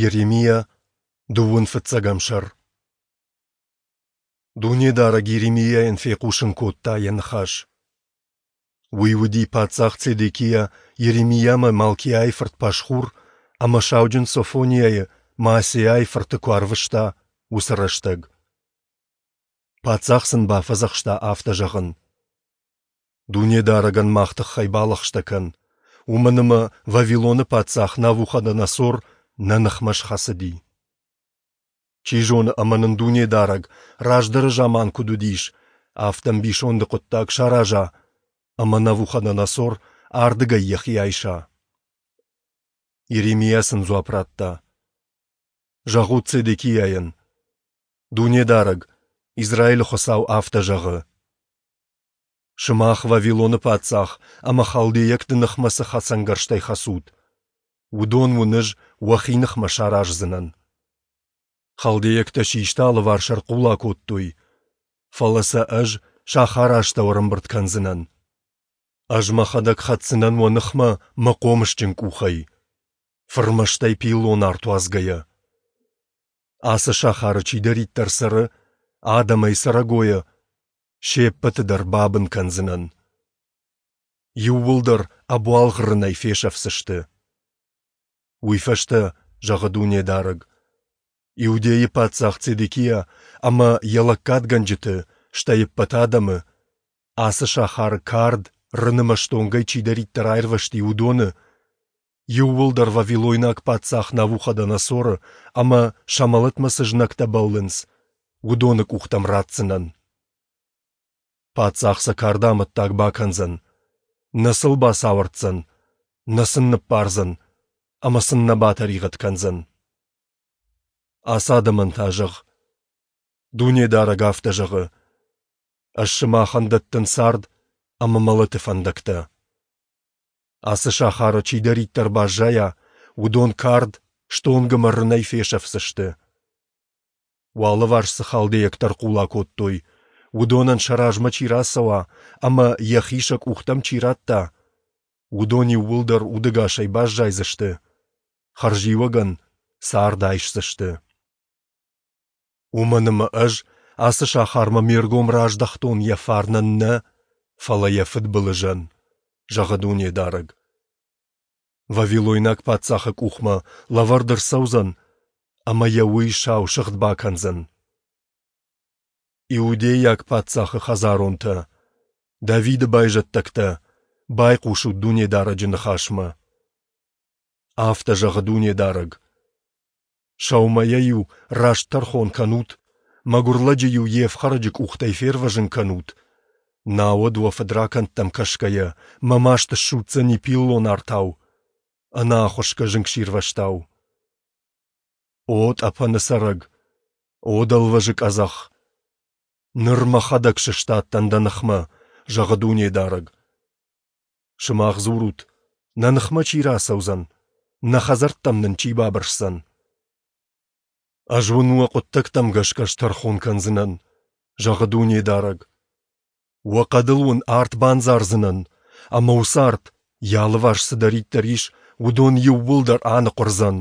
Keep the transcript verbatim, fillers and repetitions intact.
Йеремиа, дыууын фыццӕгӕм сӕр. Дунедарӕг Йеремиайӕн фехъусын кодта Йӕ ныхас. Уый уыди, паддзах Цедекиа Йеремиамӕ Малкиайы фырт Пашхур ӕмӕ сауджын Софониайы Маасеайы фырты куы арвыста, уыцы рӕстӕг. Паддзах сын бафӕдзӕхста афтӕ зӕгъын: Дунедарӕгӕн мах тыххӕй балӕгъстӕ кӕн, уымӕн ӕмӕ Вавилоны паддзах Навуходоносор нӕ ныхмӕ схӕцыди. Чи зоны, ӕмӕ нын Дунедарӕг, раздӕры заман куыд уыдис, афтӕ ӕмбисонды хъуыддаг сараза, ӕмӕ Навуходоносор ардыгӕй йӕхи айса. Йеремиа сын дзуапп радта: Зӕгъут Цедекиайӕн, Дунедарӕг, Израилы Хуыцау, афтӕ зӕгъы: Сымах Вавилоны паддзах ӕмӕ халдейӕгты ныхмӕ цы хӕцӕнгӕрзтӕй хӕцут, уыдон уын ӕз уӕхи ныхмӕ сараздзынӕн. Халдейӕгтӕ систы алыварс ӕрхъула кодтой, фӕлӕ сӕ ӕз сахары астӕу ӕрӕмбырд кӕндзынӕн. Ӕз мӕхӕдӕг хӕцдзынӕн уӕ ныхмӕ мӕ хъомысджын къухӕй, фырмӕстӕй пиллон арт уадзгӕйӕ. Ацы сахары чидӕриддӕр цӕры, адӕмӕй цӕрӕгойӕ, се ппӕты дӕр бабын кӕндзынӕн. Иууылдӕр ӕбуалгъ рынӕй фесӕфдзысты. Уый фӕстӕ, зӕгъы Дунедарӕг, Иудейы паддзах Цедекиа ӕмӕ йӕ лӕггадгӕнджыты, стӕй ӕппӕт адӕмы, ацы сахары кард, рын ӕмӕ стонгӕй чидӕриддӕр аирвӕзти, уыдоны иууылдӕр вавилойнаг паддзах Навуходоносоры ӕмӕ сӕ мӕлӕтмӕ цы знӕгтӕ бӕллынц, уыдоны къухтӕм ратдзынӕн. Паддзах сӕ карды амӕттаг бакӕндзӕн, нӕ сыл бацауӕрддзӕн, нӕ сын ныббардзӕн ӕмӕ сын нӕ батӕригъӕд кӕндзӕн. Ацы адӕмӕн та зӕгъ: Дунедарӕг афтӕ зӕгъы: Ӕз сымахӕн дӕттын цард ӕмӕ мӕлӕты фӕндӕгтӕ. Ацы сахары чидӕриддӕр баззайа, уыдон кард, стонг ӕмӕ рынӕй фесӕфдзысты. Уӕ алыварс цы халдейӕгтӕ ӕрхъула кодтой, уыдонӕн сӕ размӕ чи рацӕуа ӕмӕ йӕхи сӕ къухтӕм чи радта, уыдон иууылдӕр удӕгасӕй баззайдзысты, хӕрзиуӕгӕн цард айсдзысты. Уымӕн ӕмӕ ӕз ацы сахармӕ ме ргом раздӕхтон йӕ фарнӕн нӕ, фӕлӕ йӕ фыдбылызӕн, зӕгъы Дунедарӕг. Вавилойнаг паддзахы къухмӕ лӕвӕрд ӕрцӕудзӕн, ӕмӕ йӕ уый сау сыгъд бакӕндзӕн. Иудейаг паддзахы хӕдзаронтӕ, Давиды байзӕддӕгтӕ, байхъусут Дунедарӕджы ныхасмӕ. Афтӕ зӕгъы Дунедарӕг: Сӕумӕйӕ-иу раст тӕрхон кӕнут, мӕгуыр лӕджы-иу йе фхӕрӕджы къухтӕй фервӕзын кӕнут, науӕд уӕ фыдракӕндтӕм кӕсгӕйӕ, мӕ маст ссудздзӕни пиллон артау, ӕнӕахуысгӕ зынгсирвӕзтау. О тъӕпӕны цӕрӕг, о дӕлвӕзы къӕдзӕх! Ныр мӕхӕдӕг сыстадтӕн дӕ ныхмӕ, зӕгъы Дунедарӕг. Сымах дзурут, нӕ ныхмӕ чи рацӕудзӕн, нӕ хӕдзӕрттӕм нын чи бабырсдзӕн? Ӕз уын уӕ хъуыддӕгтӕм гӕсгӕ стӕрхон кӕндзынӕн, зӕгъы Дунедарӕг. Уӕ хъӕдыл уын арт бандзардзынӕн, ӕмӕ уыцы арт, йӕ алыварс цыдӕриддӕр ис, уыдон иууылдӕр аныхъуырдзӕн.